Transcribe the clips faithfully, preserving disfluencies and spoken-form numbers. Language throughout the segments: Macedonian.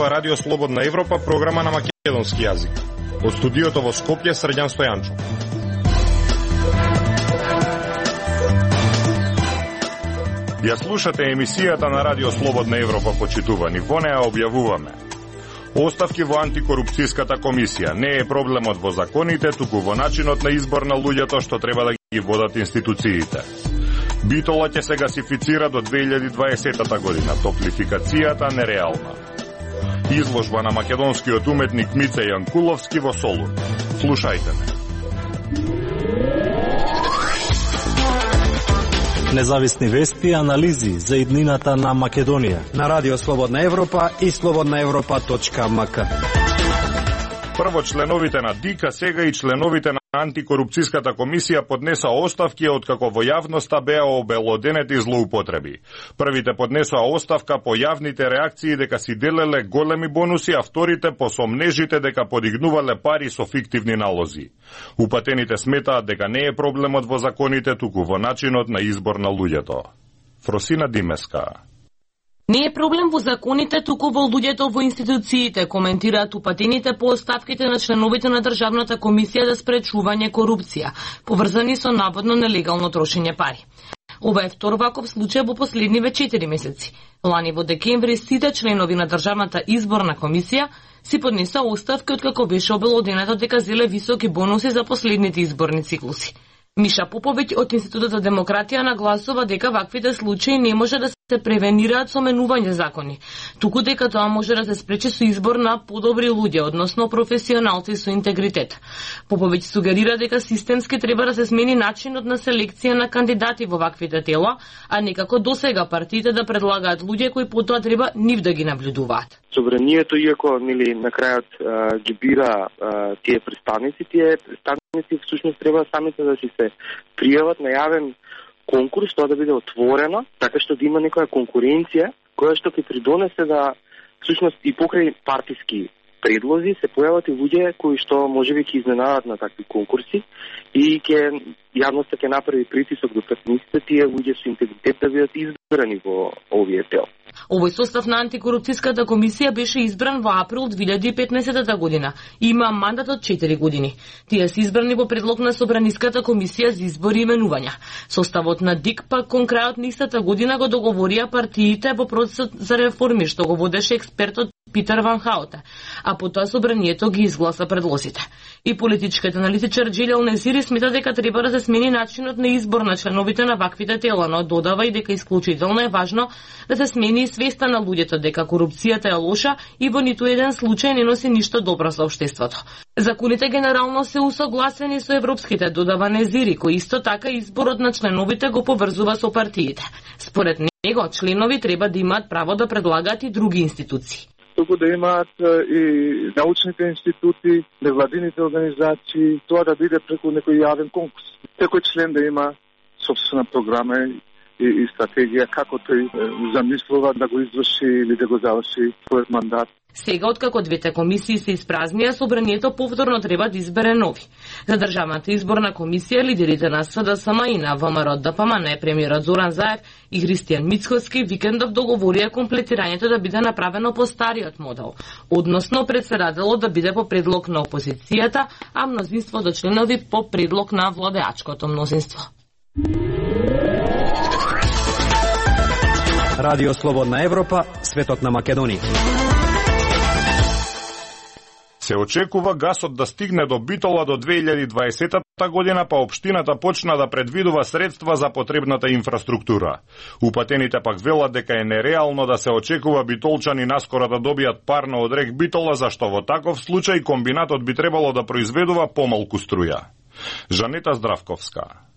зборува Радио Слободна Европа, програма на македонски јазик. Од студиото во Скопје, Срđan Стојанчов. Ја слушате емисијата на Радио Слободна Европа, почитувани. Во неа објавуваме: оставки во антикорупцијската комисија. Не е проблемот во законите, туку во начинот на избор на луѓето што треба да ги водат институциите. Битола ќе се гасифицира до две илјади и дваесета година. Топлификацијата нереална. Изложба на македонскиот уметник Мице Јанкуловски во Солун. Слушајте ме. Независни вести и анализи за иднината на Македонија на Радио Слободна Европа и слободна европа точка ем ка. Прво членовите на ДИК, сега и членовите на антикорупцијската комисија поднеса оставки откако во јавноста беа обелоденети злоупотреби. Првите поднесоа оставка по јавните реакции дека си делеле големи бонуси, а вторите по сомнежите дека подигнувале пари со фиктивни налози. Упатените сметаат дека не е проблемот во законите, туку во начинот на избор на луѓето. Фросина Димеска. Не е проблем во законите, туку во луѓето во институциите, коментираат упатените по оставките на членовите на Државната комисија за спречување корупција, поврзани со наводно нелегално трошење пари. Ова е втор ваков случај во последниве четири месеци. Лани во декември сите членови на Државната изборна комисија си поднесоа оставки откако беше обелоденето дека зеле високи бонуси за последните изборни циклуси. Миша Поповиќ од Институтот за демократија нагласува дека ваквите случаи не може да се превенираат со менување закони, туку дека тоа може да се спречи со избор на подобри луѓе, односно професионалци со интегритет. Поповиќ сугерира дека системски треба да се смени начинот на селекција на кандидати во ваквите тела, а не како досега партиите да предлагаат луѓе кои потоа треба нив да ги наблюдуваат. Собранието, иако нели на крајот а, ги бира а, тие представници, тие представници всушност треба самите да си се пријават на јавен конкурс, тоа да биде отворено, така што да има некоја конкуренција која што ќе придонесе да всушност и покрај партиски предлози се појават и луѓе кои што можеби ќе изненадат на такви конкурси и ќе јавноста ќе направи притисок до партиите тие луѓе со интегритет да бидат избрани во овие тел. Овој состав на антикорупцијската комисија беше избран во април две илјади и петнаесета година и има мандат од четири години. Тие се избрани во предлог на Собраниската комисија за избори и именувања. Составот на ДИК пак кон крајот на истата година го договорија партиите во процесот за реформи што го водеше експертот Питер Ван Хаутен, а потоа Собранието ги изгласа предлозите. И политичкиот аналитичар Джилел Незири смета дека треба да се смени начинот на избор на членовите на ваквите тела, но додава и дека исклучително е важно да се смени свеста на луѓето дека корупцијата е лоша и во ниту еден случај не носи ништо добро за општеството. Законите генерално се усогласени со европските, додава Незири, кој исто така изборот на членовите го поврзува со партиите. Според него, членови треба да имаат право да предлагаат и други институции. Туку да имаат и научните институти, невладините организации, тоа да биде преку некој јавен конкурс. Секој член да има собствена програма и, и стратегија како тој замислува да го изврши или да го заврши својот мандат. Сега, откако двете комисии се испразнија, Собранието повторно треба да избере нови. За Државната изборна комисија, лидерите на СДСМ и на ВМРО ДПМН, премиерот Зоран Заев и Христијан Мицкоски викендов договорија комплетирањето да биде направено по стариот модел, односно председателот да биде по предлог на опозицијата, а мнозинството членови по предлог на владеачкото мнозинство. Радио Слободна Европа, светот на Македонија. Се очекува гасот да стигне до Битола до две илјади и дваесета година, па општината почна да предвидува средства за потребната инфраструктура. Упатените пак велат дека е нереално да се очекува битолчани наскоро да добијат парно од рек Битола, зашто во таков случај комбинатот би требало да произведува помалку струја. Жанета Здравковска.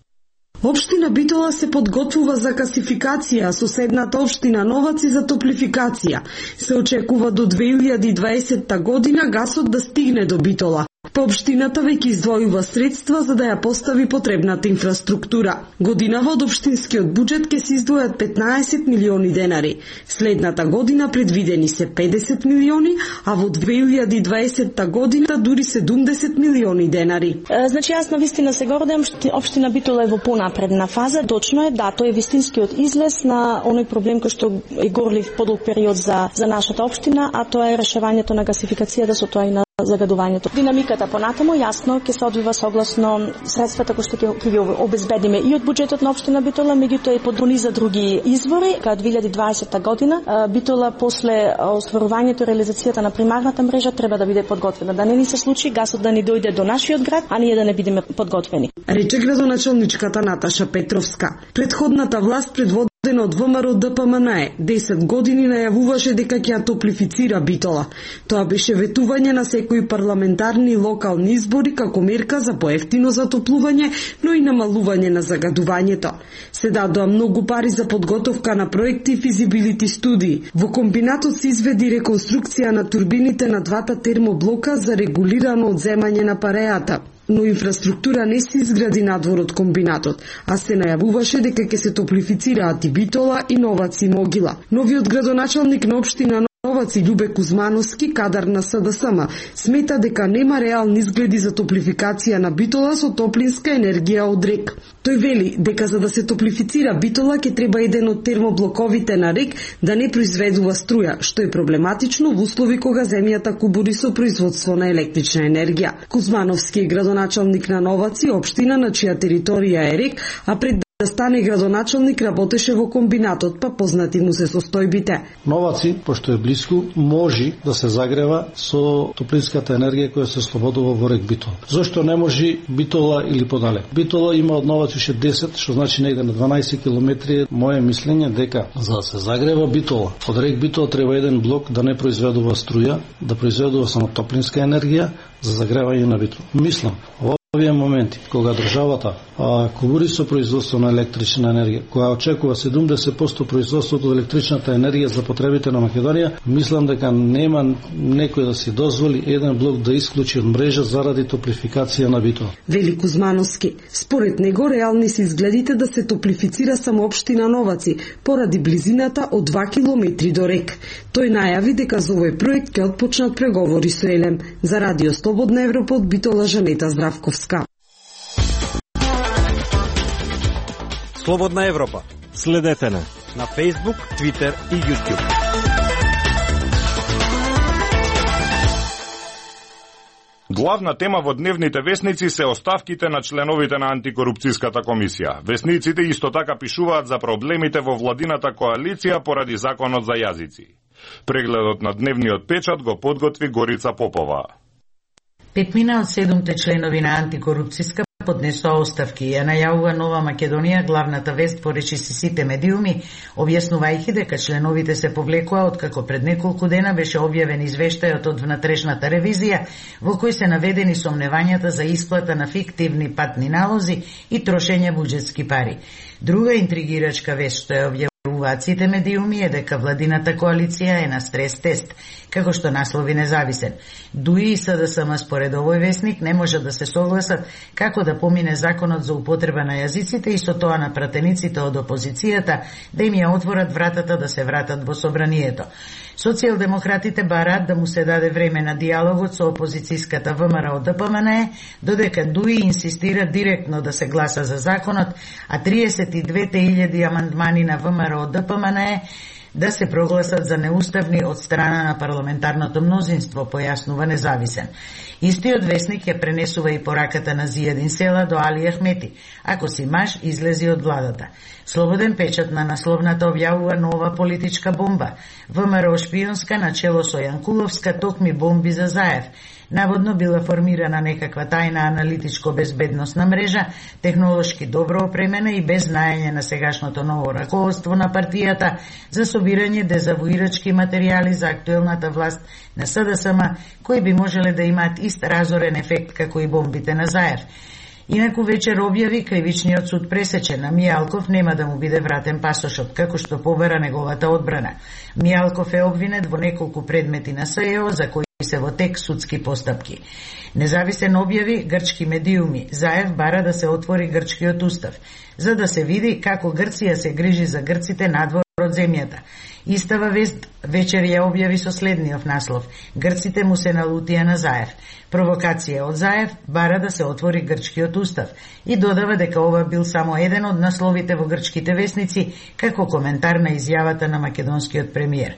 Општина Битола се подготвува за гасификација, а соседната општина Новаци за топлификација. Се очекува до две илјади и дваесета година гасот да стигне до Битола. Па општината веќе издвојува средства за да ја постави потребната инфраструктура. Годинава од општинскиот буџет ќе се издвојат петнаесет милиони денари. Следната година предвидени се педесет милиони, а во две илјади и дваесетта година дури седумдесет милиони денари. Значи јас навистина се гордам што општина Битола е во понапредна фаза. Точно е, да, тој е вистинскиот излез на оној проблем кој што е горлив подолг период за за нашата општина, а тоа е решавањето на гасификацијата, со тоа и на загадувањето. Динамиката понатаму јасно ќе се одвива согласно средствата кои што ќе ги обезбедиме и од буџетот на општина Битола, меѓутоа и под за други извори. Кај две илјади и дваесетта година Битола после остварувањето и реализацијата на примарната мрежа треба да биде подготвена. Да не ни се случи гасот да ни дојде до нашиот град, а ние да не бидеме подготвени. Рече градоначалничката Наташа Петровска. Предходната власт предводена од ВМРО Д П М Н Е десет години најавуваше дека ќе ја топлифицира Битола. Тоа беше ветување на секои парламентарни и локални избори како мерка за поевтино затоплување, но и намалување на загадувањето. Се дадоа многу пари за подготовка на проекти и физибилити студии. Во комбинатот се изведи реконструкција на турбините на двата термоблока за регулирано одземање на парејата. Но инфраструктура не се изгради надвор од комбинатот, а се најавуваше дека ќе се топлифицираат и Битола и Новац и Могила. Новиот градоначалник на општина Новац и Љубе Кузмановски, кадар на С Д С М, смета дека нема реални изгледи за топлификација на Битола со топлинска енергија од рек. Тој вели дека за да се топлифицира Битола ќе треба еден од термоблоковите на рек да не произведува струја, што е проблематично во услови кога земјата кубури со производство на електрична енергија. Кузмановски е градоначалник на Новац и општина на чија територија е рек, а пред да стане градоначалник работеше во комбинатот, па познати му се состојбите. Новаци, пошто е близко, може да се загрева со топлинската енергија која се слободува во рек Битола. Зошто не може Битола или подале? Битола има од Новац уште десет, што значи негде на дванаесет километри. Моje мислење дека за да се загрева Битола, од рек Битола треба еден блок да не произведува струја, да произведува само топлинска енергија за загревање на Битола. Мислам, овие моменти, кога државата а, кубури со производство на електрична енергија, која очекува седумдесет проценти производството од електричната енергија за потребите на Македонија, мислам дека нема некој да си дозволи еден блок да исклучи од мрежа заради топлификација на Битола. Вели Кузмановски. Според него реални се изгледите да се топлифицира само општина Новаци, поради близината од два километри до рек. Тој најави дека за овој проект ќе отпочнат преговори со Елем. За Радио Слободна Европа од Битола Жанета Здравковска. Слободна Европа. Следете на на Facebook, Twitter и YouTube. Главна тема во дневните весници се оставките на членовите на антикорупцијската комисија. Весниците исто така пишуваат за проблемите во владината коалиција поради законот за јазици. Прегледот на дневниот печат го подготви Горица Попова. Петмина од седумте членови на антикорупцијска поднесоа оставки. Ја најавува Нова Македонија, главната вест поречи си сите медиуми, објаснувајќи дека членовите се повлекоа откако пред неколку дена беше објавен извештајот од внатрешната ревизија, во кој се наведени сомневањата за исплата на фиктивни патни налози и трошење буџетски пари. Друга интригирачка вест што ја објавуваат сите медиуми е дека владината коалиција е на стрес тест, како што наслови независен. Дуи и С Д С М според овој весник не може да се согласат како да помине законот за употреба на јазиците и со тоа на пратениците од опозицијата да им ја отворат вратата да се вратат во собранието. Социјалдемократите бараат да му се даде време на диалогот со опозицијската В М Р О Д П М Н Е, додека Дуи инсистира директно да се гласа за законот, а триесет и две илјади амандмани на В М Р О Д П М Н Е да се прогласат за неуставни од страна на парламентарното мнозинство, појаснува независен. Истиот весник ја пренесува и пораката на Зијадин Села до Али Ахмети: ако си маж, излези од владата. Слободен печат на насловната објавува нова политичка бомба. В М Р О шпионска начело со Јанкуловска токми бомби за Заев. Наводно била формирана некаква тајна аналитичко-безбедносна мрежа, технолошки добро опремена и без знаење на сегашното ново раководство на партијата за собирање дезавуирачки материјали за актуелната власт на С Д С М, кои би можеле да имаат ист разорен ефект како и бомбите на Заев. Инаку вечер објави кривичниот суд пресече на Мијалков нема да му биде вратен пасошот, како што побара неговата одбрана. Мијалков е обвинет во неколку предмети на С Е О за кои се во тек судски постапки. Независен објави грчки медиуми. Заев бара да се отвори грчкиот устав, за да се види како Грција се грижи за грците надвор од земјата. Истава вест вечер ја објави со следниот наслов: Грците му се налутија на Заев. Провокација од Заев бара да се отвори грчкиот устав и додава дека ова бил само еден од насловите во грчките весници како коментар на изјавата на македонскиот премиер.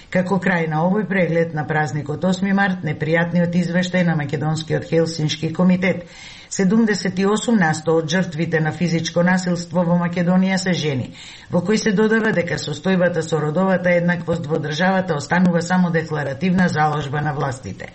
Како крај на овој преглед на празникот осми март, непријатниот извештај на македонскиот Хелсиншки комитет: седумдесет и осум на сто од жртвите на физичко насилство во Македонија се жени, во кој се додава дека состојбата со родовата еднаквост во државата останува само декларативна заложба на властите.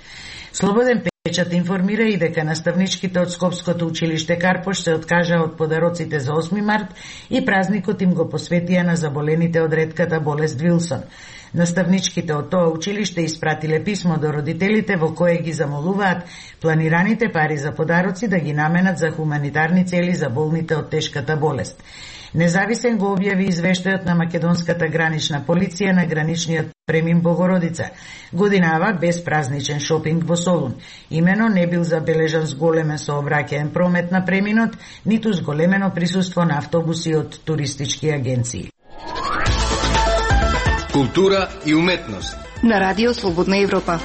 Слободен печат информира и дека наставничките од Скопското училиште Карпош се откажаа од подароците за осми март и празникот им го посветија на заболените од ретката болест Вилсон. Наставничките од тоа училиште испратиле писмо до родителите во кое ги замолуваат планираните пари за подароци да ги наменат за хуманитарни цели за болните од тешката болест. Независен го објави извештајот на македонската гранична полиција на граничниот премин Богородица. Годинава без празничен шопинг во Солун. Имено не бил забележан зголемен сообраќаен промет на преминот, ниту зголемено присуство на автобуси од туристички агенции. Култура и уметност на Радио Слободна Европа.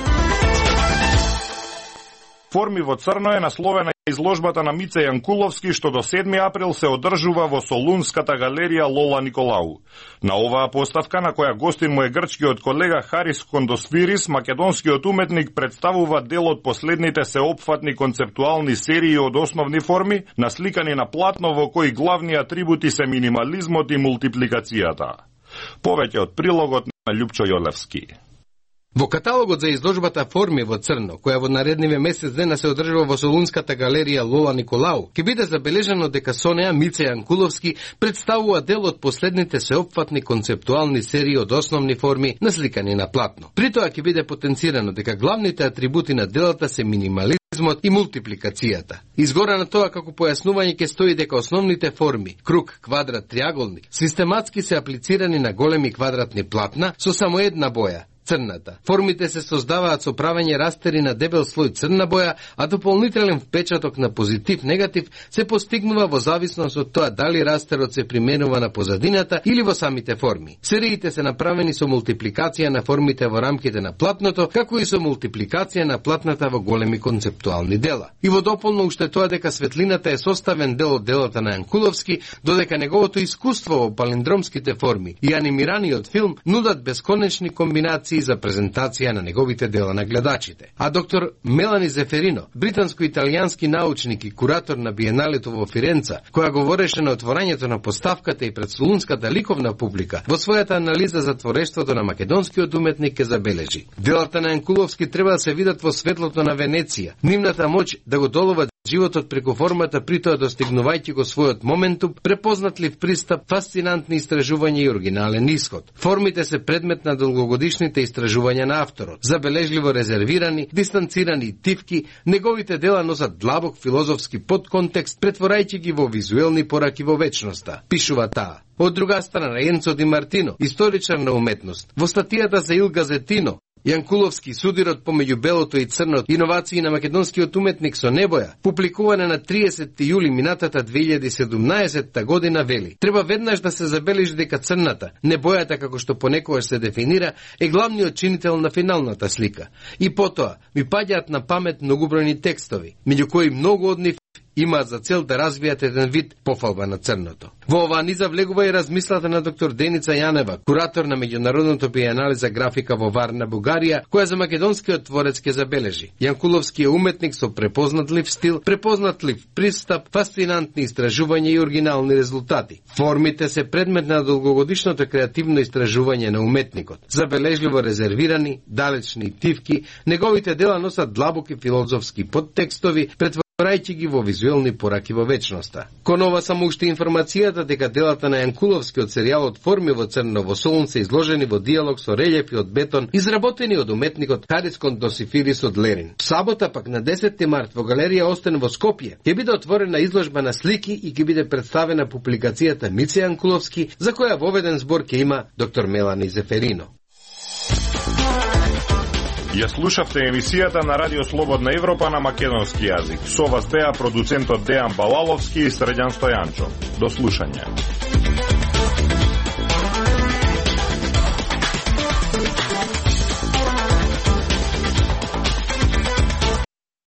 Форми во црно е насловена изложбата на Мице Јанкуловски, што до седми април се одржува во Солунската галерија Лола Николау. На оваа поставка, на која гостин му е грчкиот колега Харис Кондосфирис, македонскиот уметник представува дел од последните сеопфатни концептуални серии од основни форми, насликани на платно во кои главни атрибути се минимализмот и мултипликацијата. Повеќе од прилогот на Љупчо Јолевски. Во каталогот за изложбата Форми во црно, која во наредниве месец дена се одржува во Солунската галерија Лола Николау, ќе биде забележано дека со неа Мице Јанкуловски представува дел од последните сеопфатни концептуални серии од основни форми насликани на платно. При тоа ќе биде потенцирано дека главните атрибути на делата се минимализмот и мултипликацијата. Изгора на тоа како појаснување ќе стои дека основните форми, круг, квадрат, триаголник, систематски се аплицирани на големи квадратни платна со само една боја, црната. Формите се создаваат со правење растери на дебел слој црна боја, а дополнителен впечаток на позитив-негатив се постигнува во зависност од тоа дали растерот се применува на позадината или во самите форми. Сериите се направени со мултипликација на формите во рамките на платното, како и со мултипликација на платната во големи концептуални дела. И во дополно уште тоа дека светлината е составен дел од делата на Јанкуловски, додека неговото искуство во палиндромските форми и анимираниот филм нудат бесконечни комбинации за презентација на неговите дела на гледачите. А доктор Мелани Зеферино, британско-италијански научник и куратор на Биеналето во Фиренца, која говореше на отворањето на поставката и пред солунската ликовна публика, во својата анализа за творештвото на македонскиот уметник ке забележи: делата на Јанкуловски треба да се видат во светлото на Венеција, нивната моќ да го доловат животот преку формата, при тоа достигнувајќи го својот моментум, препознатлив пристап, фасцинантни истражувања и оригинален исход. Формите се предмет на долгогодишните истражувања на авторот. Забележливо резервирани, дистанцирани и тивки, неговите дела носат длабок филозофски подконтекст, претворајќи ги во визуелни пораки во вечноста, пишува таа. Од друга страна, Енцо Ди Мартино, историчар на уметност, во статијата за Il Gazettino, Јанкуловски, судирот помеѓу белото и црнот, иновации на македонскиот уметник со небоја, публикуване на триесетти јули минатата две илјади и седумнаесетта година, вели: треба веднаш да се забележи дека црната, небојата како што понекогаш се дефинира, е главниот чинител на финалната слика. И потоа ми паѓаат на памет многобројни текстови, меѓу кои многу од нив имаат за цел да развијат еден вид пофалба на црното. Во оваа низа влегува и размислата на доктор Деница Јанева, куратор на меѓународното биенале за графика во Варна, Бугарија, која за македонскиот творец ке забележи: Јанкуловски е уметник со препознатлив стил, препознатлив пристап, фасцинантни истражувања и оригинални резултати. Формите се предмет на долгогодишното креативно истражување на уметникот. Забележливо резервирани, далечни тивки, неговите дела носат длабоки филозофски подтекстови, претворајќи ги во визуелни пораки во вечноста. Кон ова само уште информацијата дека делата на Јанкуловски од серијалот Форми во црно во Солун се изложени во диалог со релјефи од бетон, изработени од уметникот Харис Кондосфирис од Лерин. Сабота пак на десетти март во галерија Остен во Скопје ќе биде отворена изложба на слики и ќе биде представена публикацијата Мице Јанкуловски, за која воведен збор ќе има доктор Мелани Зеферино. Ја слушавте емисијата на Радио Слободна Европа на македонски јазик. Со вас беа продуцентот Дејан Балаловски и Средјан Стојанчо. До слушање.